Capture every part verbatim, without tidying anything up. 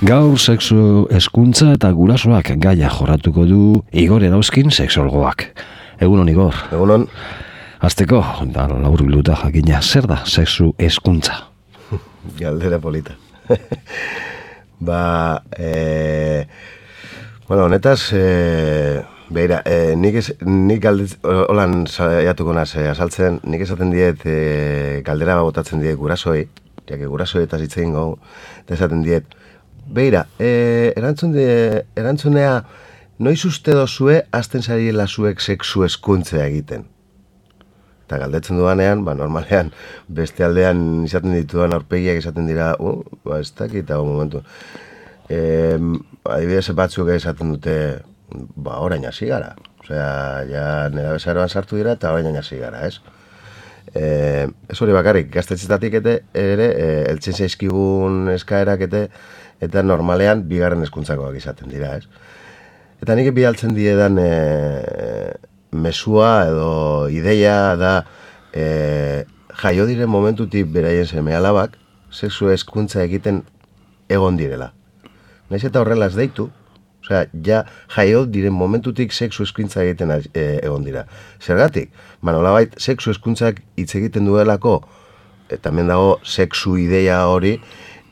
Gaur sexu hezkuntza eta gurasoak gaia jorratuko du Igor Erauzkin sexologoak. Egunon, Igor. Egunon. Azteko, da laburbilduta jakina, zer da sexu hezkuntza? Galdera polita. ba, e, bueno, honetaz, e, behira, e, nik, ez, nik galdez, holan saiatuko naz, e, azaltzen, nik esaten diet, e, galdera botatzen diet gurasoi, jake gurasoi eta zitzen gau, eta esaten diet, beira, e, erantzun de, erantzunea, noiz uste dozue azten zariela zuek sexu hezkuntzea egiten? Eta galdetzen dudanean, ba, normalean, beste aldean izaten dituan aurpegiak izaten dira, uh, ba, ez dakit, eta momentu. E, adibidez batzuk esaten dute, ba, orain hasi gara. Osea, ja nera bezaroan sartu dira eta orain hasi gara, ez? E, ez hori bakarrik, gaztetxetatik ete, ere, e, eltzen zaizkigun eskaerak ete, eta normalean bigarren hezkuntzakoak izaten dira, ez? Eta nik bidaltzen diedan e, mesua edo ideia da e, jaio diren momentutik beraien seme alabak sexu hezkuntza egiten egon direla. Naiz eta horrela ez deitu, osea, ja jaio diren momentutik sexu hezkuntza egiten e, egon dira. Zergatik? Ba, nolabait sexu hezkuntzak hitz egiten duelako, eta hemen dago sexu ideia hori,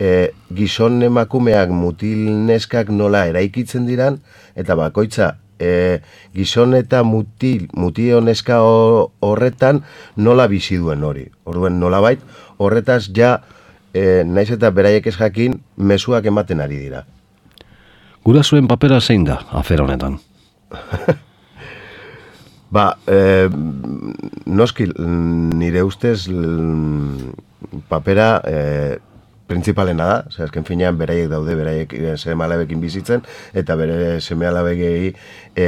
e, gizon emakumeak mutil neskak nola eraikitzen diran, eta bakoitza e, gizon eta mutil, mutio neska horretan nola bizi duen hori. Orduen nolabait, horretaz ja, e, naiz eta beraiek ez jakin, mezuak ematen ari dira. Gurasoen papera zein da, afera honetan? ba, e, noski, nire ustez papera e, printzipalena da, zer, azken finean beraiek daude, beraiek seme alabekin bizitzen, eta bere seme alabegei e,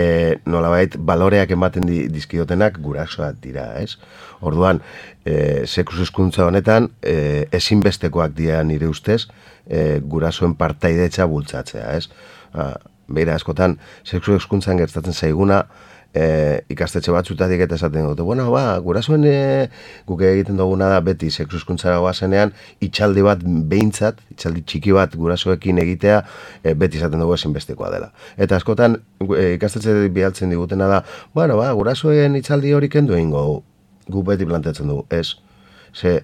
nolabait baloreak ematen di, dizkiotenak gurasoak dira, ez? Orduan, e, sexu hezkuntza honetan, e, ezinbestekoak dira nire ustez, e, gurasoen partaidetza bultzatzea, ez? Ba, beira askotan, sexu hezkuntzan gertatzen zaiguna, E, ikastetxe batzutatik eta esaten dute, bueno, ba, gurasoen e, guk egiten duguna da beti sexu hezkuntzara goazenean itxaldi bat behintzat, itxaldi txiki bat gurasoekin egitea e, beti esaten dugu ezinbestekoa dela. Eta askotan e, ikastetxe bialtzen digutena da, bueno, ba, gurasoen itxaldi hori kendu egingo guk beti planteatzen dugu, ez? Ze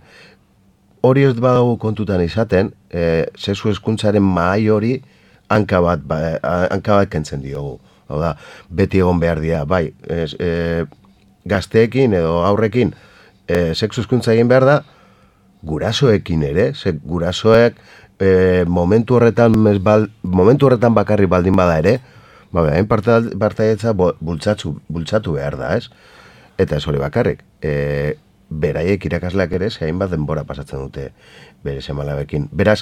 hori ez badago kontutan izaten, e, sexu hezkuntzaren mahai hori hanka bat, ba, hanka bat kentzen diogu. Hau da, beti egon behar dira, bai, ez, e, gazteekin edo aurrekin e, sexu hezkuntza egin behar da, gurasoekin ere, ze gurasoek e, momentu horretan bal, momentu horretan bakarri baldin bada ere, ba, behain partaietza bultzatu, bultzatu behar da, ez? Eta ez hori bakarrik, e, beraiek irakasleak ere, zein bat denbora pasatzen dute bere seme alabekin. Beraz,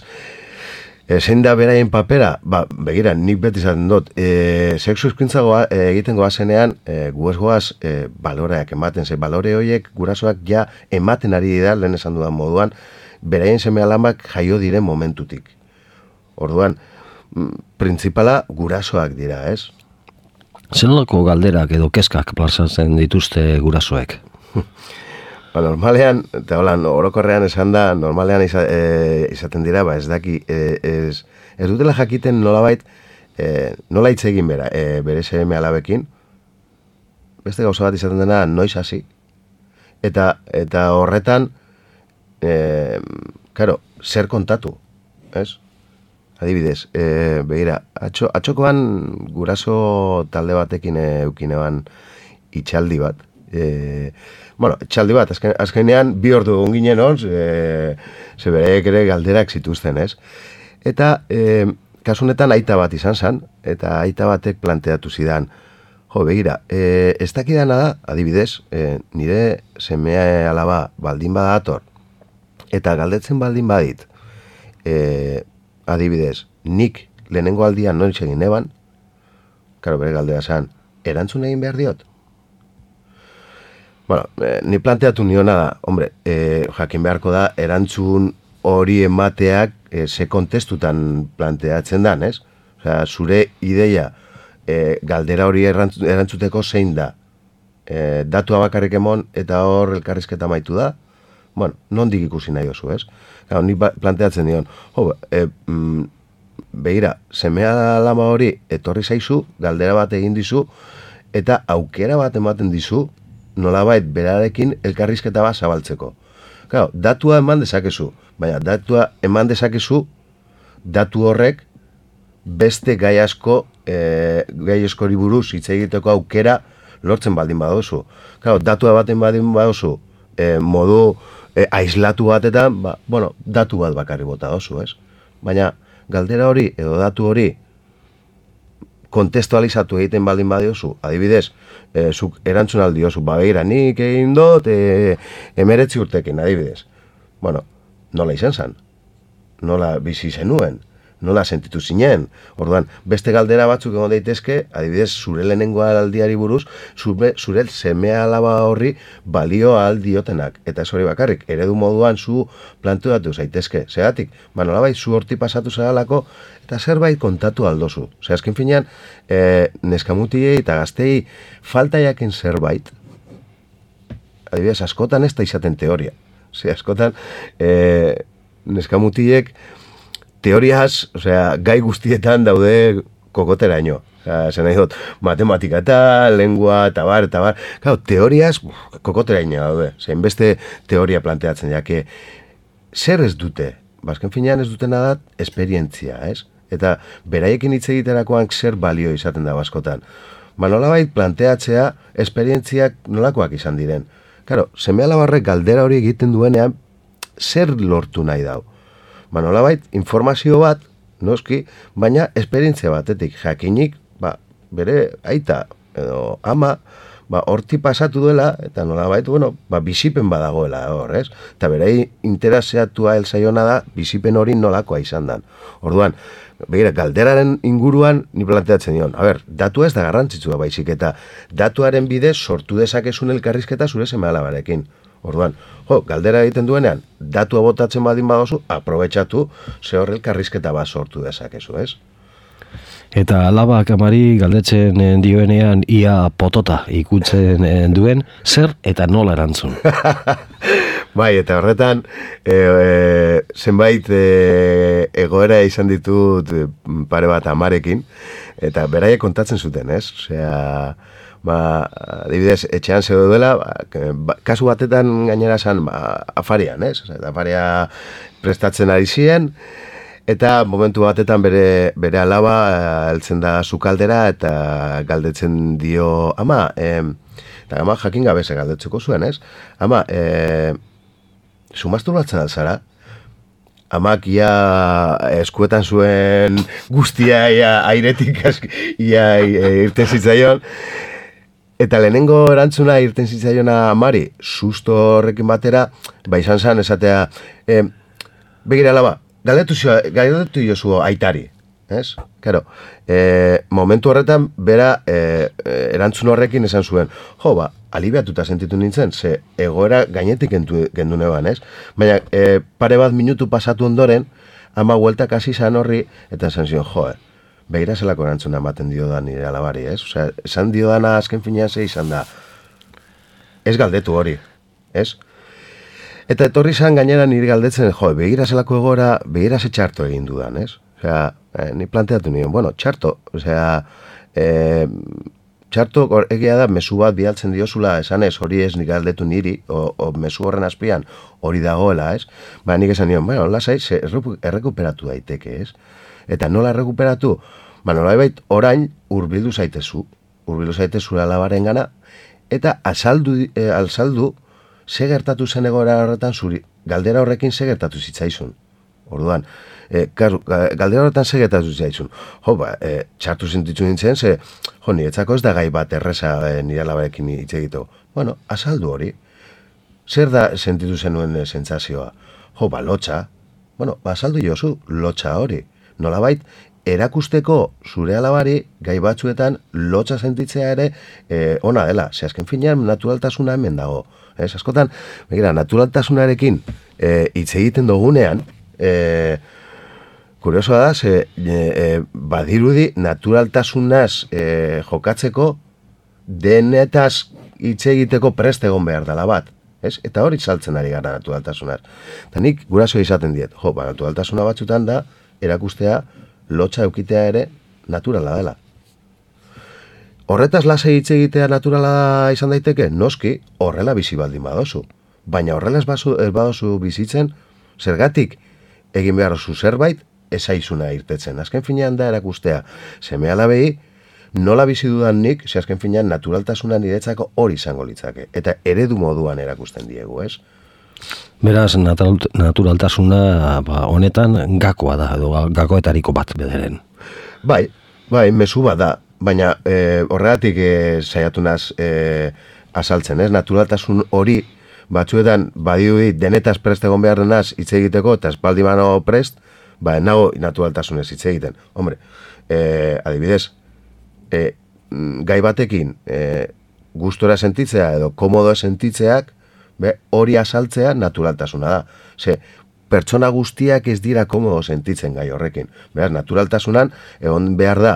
E, zein da beraien papera? Ba, begira, nik beti izaten dut, e, sexu hezkuntza goa, e, egiten goazenean, e, gu ez goaz e, baloreak ematen, ze balore horiek gurasoak ja ematen ari dira, lehen esan dudan moduan, beraien seme alabak jaio diren momentutik. Orduan, printzipala gurasoak dira, ez? Zenolako galderak edo kezkak plazatzen dituzte gurasoek? Ba, normalean, eta holan, orokorrean esan da, normalean iza, e, izaten dira, ba, ez daki, e, ez, ez dutela jakiten nolabait, e, nola hitz egin bera, e, bere seme alabekin, beste gauza bat izaten dena, noiz hasi, eta, eta horretan, e, karo, zer kontatu, ez? Adibidez, e, begira, atxo, atxokoan guraso talde batekin eukineban itxaldi bat, e, bueno, txaldi bat, azken, azkenean bi ordu egon ginen hor, e, ze bereek ere galderak zituzten, ez? Eta, e, kasunetan aita bat izan zen, eta aita batek planteatu zidan, jo, begira, e, ez dakidana da, adibidez, e, nire seme alaba baldin badator, eta galdetzen baldin badit, e, adibidez, nik lehenengo aldian noiz egin eban, karo, bere galdera zen, erantzun egin behar diot? Bueno, eh, ni planteatu niona da, hombre, eh, jakin beharko da, erantzun hori emateak eh, ze kontestutan planteatzen dan, ez? Osea, zure ideia eh, galdera hori erantzuteko zein da? Eh, datua bakarrik emon eta hor elkarrizketa maitu da? Bueno, nondik ikusi nahi oso, ez? Gau, ni planteatzen dion, jo, e, mm, begira, semea lama hori etorri zaizu, galdera bat egin dizu, eta aukera bat ematen dizu, nolabait berarekin elkarrizketa bat zabaltzeko. Claro, datua eman dezakezu, baina datua eman dezakezu, datu horrek beste gai asko, e, gai askori buruz hitz egiteko aukera lortzen baldin badozu. Claro, datua baten baldin badozu, e, modu e, aislatu batetan, ba, bueno, datu bat bakarri bota dozu, ez? Baina galdera hori edo datu hori kontestualizatu egiten baldin badiozu, adibidez, e, zuk erantzun aldiozu, ba begira, nik egin dut e, emeretzi urtekin, adibidez. Bueno, nola izan zen? Nola bizi zenuen? Nola sentitu zinen? Orduan, beste galdera batzuk egon daitezke, adibidez, zure lehenengo aldiari buruz, zure, zure semea alaba horri balio aldiotenak. Eta ez hori bakarrik, eredu moduan zu planteatu zaitezke. Zeratik, ba nolabait zu horti pasatu zaralako, eta zerbait kontatu aldozu. Zer, azken finean, e, neskamutiei eta gaztei falta jaken zerbait, adibidez, askotan ez da izaten teoria. Zer, askotan, e, neskamutiek teoriaz, osea, gai guztietan daude kokoteraino. Osea, zen nahi dut, matematika eta, lengua, eta bar, eta bar. Claro, teoriaz, kokoteraino daude. Zein beste teoria planteatzen, jake, zer ez dute? Bazken finean ez dutena da, esperientzia, ez? Eta beraiekin hitz egiterakoan zer balio izaten da askotan. Ba, nolabait planteatzea, esperientziak nolakoak izan diren. Claro, seme-alabarrek galdera hori egiten duenean, zer lortu nahi dau? Ba, nolabait, informazio bat, noski, baina esperientzia batetik jakinik, ba, bere aita edo ama, ba, horti pasatu duela, eta nolabait, bueno, ba, bizipen badagoela hor, ez? Eta berei interesatua elzaiona da, bizipen hori nolakoa izan dan. Orduan, begira, galderaren inguruan ni planteatzen dion. A ber, datua ez da garrantzitsua baizik, eta datuaren bidez sortu dezakezun elkarrizketa zure seme-alabarekin. Orduan, jo, galdera egiten duenean, datua botatzen badin badozu, aprobetxatu, ze hor elkarrizketa bat sortu dezakezu, ez? Eta alabak amari galdetzen dioenean ia potota ikutzen duen, zer eta nola erantzun. Bai, eta horretan, e, e, zenbait e, egoera izan ditut pare bat amarekin, eta beraiek kontatzen zuten, ez? Osea, ba, adibidez, etxean zeu duela, ba, kasu batetan gainera zan, ba, afarian, ez? Osea, afaria prestatzen ari ziren, eta momentu batetan bere, bere alaba heltzen da sukaldera eta galdetzen dio, ama, e, eta ama jakin gabe ze galdetzeko zuen, ez? Ama, e, zu masturbatzen alzara? Amak ia eskuetan zuen guztia ia airetik ia irten zitzaion. Eta lehenengo erantzuna irten zitzaiona amari, susto horrekin batera, ba izan zen esatea, e, begira alaba, galdetu, galdetu jozu aitari, ez? Claro, e, momentu horretan, bera e, erantzun horrekin esan zuen, jo, ba, alibiatuta sentitu nintzen, ze egoera gainetik gendu neban, ez? Baina e, pare bat minutu pasatu ondoren, ama hueltak hasi zan horri, eta esan zion, jo, eh, begira zelako erantzuna ematen dio da nire alabari, ez? Osea, esan dio dana azken finean ze izan da, ez galdetu hori, ez? Eta etorri zan gainera nire galdetzen, jo, begira zelako egora, begira ze txarto egin dudan, ez? Osea, eh, ni planteatu nion, bueno, txarto, osea, eh, txarto egia da mezu bat bialtzen diozula esanez hori ez nik galdetu niri, o, o mezu horren azpian hori dagoela, ez? Ba, nik esan nion, bueno, lasai, errekuperatu daiteke, ez? Eta nola errekuperatu? Ba, nolabait orain hurbildu zaitezu, hurbildu zaitezu alabaren gana, eta azaldu, e, alzaldu ze gertatu zen egoera horretan zuri, galdera horrekin ze gertatu zitzaizun. Orduan, e, karu, galdera horretan ze gertatu zitzaizun. Jo, ba, e, txartu sentitu nintzen, ze, jo, niretzako ez da gai bat erreza e, nire alabarekin hitz egiteko. Bueno, azaldu hori. Zer da sentitu zenuen e, sentsazioa? Jo, ba, lotxa. Bueno, ba, azaldu jozu, lotxa hori. Nolabait, erakusteko zure alabari gai batzuetan lotxa sentitzea ere e, ona dela. Ze azken finean naturaltasuna hemen dago. Ez, askotan, begira, naturaltasunarekin e, hitz egiten dugunean, e, kuriosoa da, ze e, e, badirudi naturaltasunaz e, jokatzeko denetaz hitz egiteko prest egon behar dela bat. Ez? Eta hori saltzen ari gara naturaltasunaz. Eta nik guraso izaten diet, jo, ba, naturaltasuna batzutan da, erakustea lotxa eukitea ere naturala dela. Horretaz lasai hitz egitea naturala izan daiteke, noski, horrela bizi baldin badozu. Baina horrela ez badozu bizitzen, zergatik egin behar oso zerbait, ezaizuna irtetzen. Azken finean da erakustea, seme alabei, nola bizi dudan nik, ze azken finean naturaltasuna niretzako hori izango litzake. Eta eredu moduan erakusten diegu, ez? Beraz, naturaltasuna ba, honetan gakoa da, edo gakoetariko bat bederen. Bai, bai, mezu bat da. Baina e, horregatik e, saiatu naz e, azaltzen, ez? Naturaltasun hori batzuetan badiui denetaz prest egon behar denaz hitz egiteko, eta espaldi mano prest, ba, nago naturaltasunez hitz egiten. Hombre, e, adibidez, e, gai batekin e, gustora sentitzea edo komodo sentitzeak, be, hori azaltzea naturaltasuna da. Ze, pertsona guztiak ez dira komodo sentitzen gai horrekin. Beraz, naturaltasunan egon behar da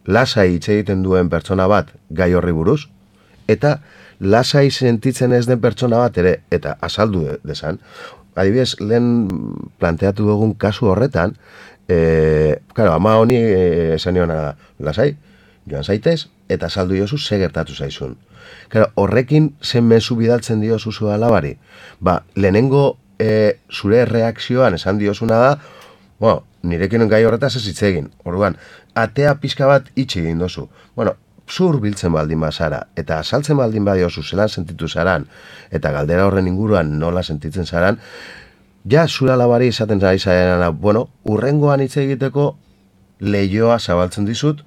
lasai hitz egiten duen pertsona bat gai horri buruz, eta lasai sentitzen ez den pertsona bat ere, eta azaldu desan. Adibidez, lehen planteatu dugun kasu horretan, e, claro, ama honi esan nion lasai, joan zaitez, eta azaldu jozu ze gertatu zaizun. Claro, horrekin zen mezu bidaltzen diozu zu alabari. Ba, lehenengo e, zure reakzioan esan diozuna da, bueno, nirekin gai horretaz ez hitz egin. Orduan, atea pixka bat itxi egin dozu. Bueno, zur biltzen baldin bazara, eta azaltzen baldin badiozu zelan sentitu zaran, eta galdera horren inguruan nola sentitzen zaran, ja zura labari izaten zari zarenan, bueno, urrengoan hitz egiteko lehioa zabaltzen dizut,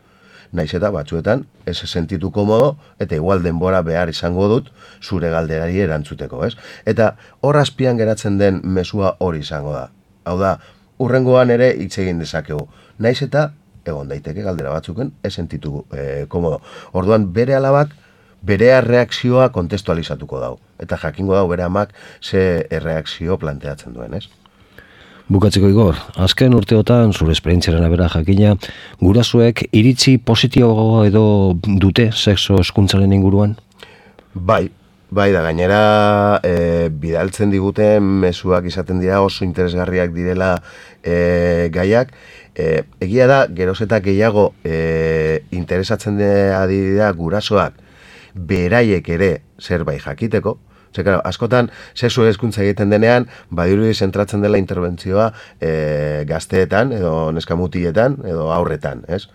naiz eta batzuetan ez sentitu komodo, eta igual denbora behar izango dut zure galderari erantzuteko, ez? Eta hor azpian geratzen den mezua hori izango da. Hau da, urrengoan ere hitz egin dezakegu. Naiz eta egon daiteke galdera batzuken ez sentitu e, komodo. Orduan bere alabak bere erreakzioa kontestualizatuko dau. Eta jakingo dau bere amak ze erreakzio planteatzen duen, ez? Bukatzeko Igor, azken urteotan zure esperientziaren abera jakina, gurasoek iritzi positibo edo dute sexo hezkuntzaren inguruan? Bai, bai da, gainera e, bidaltzen diguten mezuak izaten dira oso interesgarriak direla e, gaiak. E, egia da, geroz eta gehiago e, interesatzen dira gurasoak beraiek ere zerbait jakiteko. Ze, claro, askotan, sexu hezkuntza egiten denean, badirudi zentratzen dela interbentzioa e, gazteetan, edo neskamutietan, edo aurretan, ez?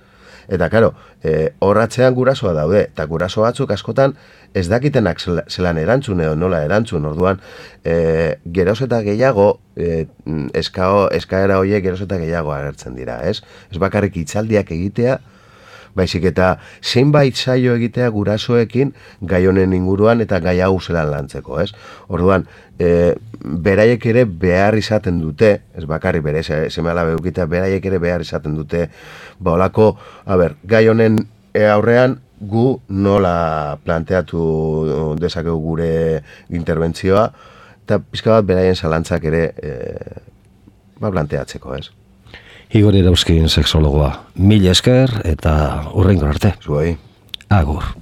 Eta, claro, e, horratzean gurasoa daude, eta guraso batzuk askotan ez dakitenak zelan erantzun edo nola erantzun, orduan, e, geroz eta gehiago, e, eskao, eskaera horiek geroz eta gehiago agertzen dira, ez? Ez bakarrik hitzaldiak egitea, baizik eta zeinbait saio egitea gurasoekin gai honen inguruan eta gai hau zelan lantzeko, ez? Orduan, e, beraiek ere behar izaten dute, ez bakarrik bere seme-alabe edukitea, beraiek ere behar izaten dute, ba olako, a ber, gai honen aurrean gu nola planteatu dezakegu gure interbentzioa, eta pizka bat beraien zalantzak ere e, ba planteatzeko, ez? Igor Erauzkin sexologoa. Mila esker eta hurrengo arte. Zuei. Agur.